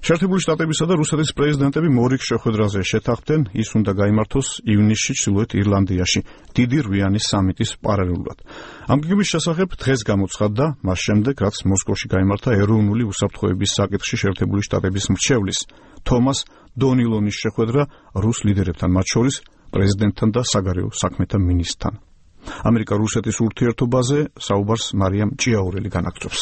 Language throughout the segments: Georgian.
შეერთებული შტატებისა და რუსეთის პრეზიდენტები მორიგ შეხვედრაზე შეთანხმდნენ, ის უნდა გაიმართოს ივნისში ჩრდილოეთ ირლანდიაში, დიდი რვიანი სამიტის პარალელურად. ამ გეგმის შესახებ დღეს გამოცხადდა, მას შემდეგ, რაც მოსკოვში გაიმართა ეროვნული უსაფრთხოების საკითხში შეერთებული შტატების მრჩევლის თომას დონილონის შეხვედრა რუს ლიდერებთან, მათ შორის პრეზიდენტთან და საგარეო საქმეთა მინისტრთან. ამერიკა-რუსეთის ურთიერთობაზე საუბარს მარიამ ჭიაურელი განაგრძობს.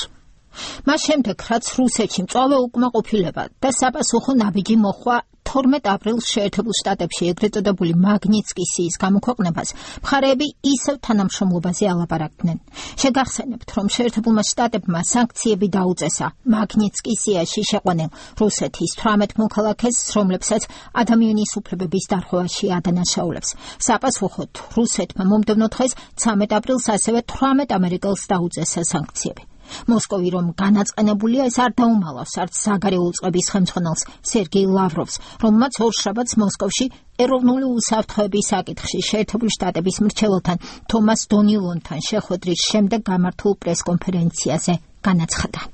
მას შემდეგ, რაც რუსეთში მწვავე უკმაყოფილება და საპასუხო ნაბიჯი მოხვა 12 აპრილს შეერთებულ შტატებში ეგრეთ წოდებული მაგნიტსკის სიის გამოქვეყნებას, მხარეები ისევ თანამშრომლობაზე ალაპარაკდნენ. შეგახსენებთ, რომ შეერთებულმა შტატებმა სანქციები დაუწესა მაგნიტსკის სიაში შეყვანილ რუსეთის 18 მოქალაქეს, რომლებსაც ადამიანის უფლებების დარღვევაში ადანაშაულებს. საპასუხოდ რუსეთმა მომდევნო დღეს 13 აპრილს ასევე 18 ამერიკელს დაუწესა სანქციები. მოსკოვი რომ განაწყენებულია, ეს არ დაუმალავს არც საგარეო წყების ხელმძღვანელს სერგეი ლავროვს, რომელმაც ორშაბათს მოსკოვში ეროვნული უსაფრთხოების საკითხში შეერთებული შტატების მრჩეველთან თომას დონილონთან შეხვედრის შემდეგ გამართულ პრესკონფერენციაზე განაცხადა.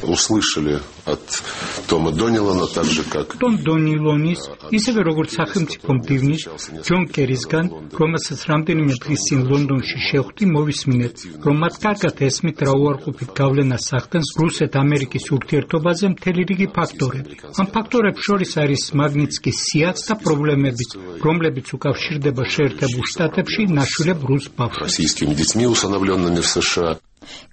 Услышали от Тома Донилона, так же как Том Донилоნის, ისევე როგორც სახელმწიფო მდივნის ჯონ კერისგან, რომელსაც რამდენიმე დღის წინ ლონდონში შეხვდი, მოვისმინეთ, რომ მათ კარგად ესმით რა უარყოფით გავლენას ახდენს რუსეთ-ამერიკის ურთიერთობაზე მთელი რიგი ფაქტორები. ამ ფაქტორებს შორის არის მაგნიტსკის სიაც და პრობლემებიც, რომლებიც უკავშირდება შეერთებულ შტატებში ნაშვილებ რუს ბავშვებს. российскими детьми, усыновленными в США.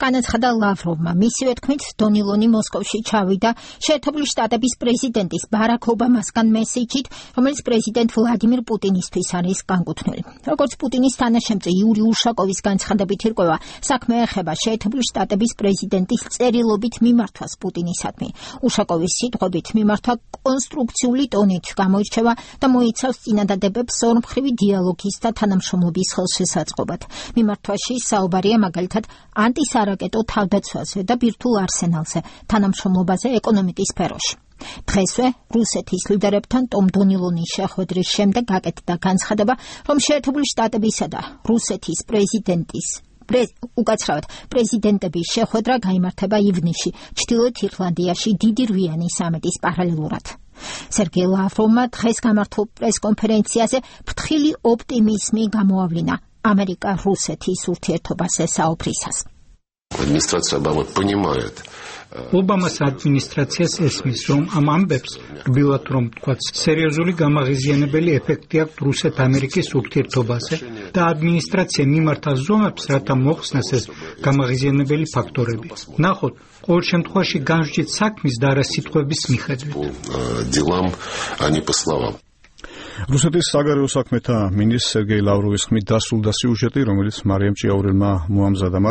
განაცხადა ლავროვმა. მისივე თქმით, დონილონი მოსკოვში ჩავიდა შეერთებული შტატების პრეზიდენტის ბარაკ ობამასგან მესიჯით, რომელიც პრეზიდენტ ვლადიმირ პუტინისთვის არის განკუთვნილი. როგორც პუტინის თანაშემწე იური უშაკოვის განცხადებით ირკვევა, საქმე ეხება შეერთებული შტატების პრეზიდენტის წერილობით მიმართვას პუტინისადმი. უშაკოვის სიტყვებით მიმართვა კონსტრუქციული ტონით გამოირჩევა და მოიცავს წინადადებებს ორმხრივი დიალოგის და თანამშრომლობის ხელშესაწყობად. მიმართვაში საუბარია მაგალითად ანტისარაკეტო თავდაცვაზე და ბირთვულ არსენალზე, თანამშრომლობაზე ეკონომიკის სფეროში. დღესვე რუსეთის ლიდერებთან ტომ დონილონის შეხვედრის შემდეგ გაკეთდა განცხადება, რომ შეერთებული შტატებისა და რუსეთის პრეზიდენტების შეხვედრა გაიმართება ივნისში, ჩრდილოეთ ირლანდიაში დიდი რვიანი სამიტის პარალელურად. სერგეი ლავროვმა დღეს გამართულ პრესკონფერენციაზე ფრთხილი ოპტიმიზმი გამოავლინა ამერიკა-რუსეთის ურთიერთობაზე საუბრისას. Администрация Обамы понимает. ობამას ადმინისტრაციას ესმის, რომ ამ ამბებს რბილად რომ თქვა, სერიოზული გამაღიზიანებელი ეფექტი აქვს რუსეთ-ამერიკის ურთიერთობაზე და ადმინისტრაცია მიმართა ზომებს, რათა მოხსნას ეს გამაღიზიანებელი ფაქტორები. ნახოთ, ყოველ შემთხვევაში განსჯით საქმის და არა სიტყვების მიხედვით. Делам, а не по словам. რუსეთის საგარეო საქმეთა მინისტრ სერგეი ლავროვის ხმით დასრულდა სიუჟეტი, რომელიც მარიამ ჭიაურელმა მოამზადა.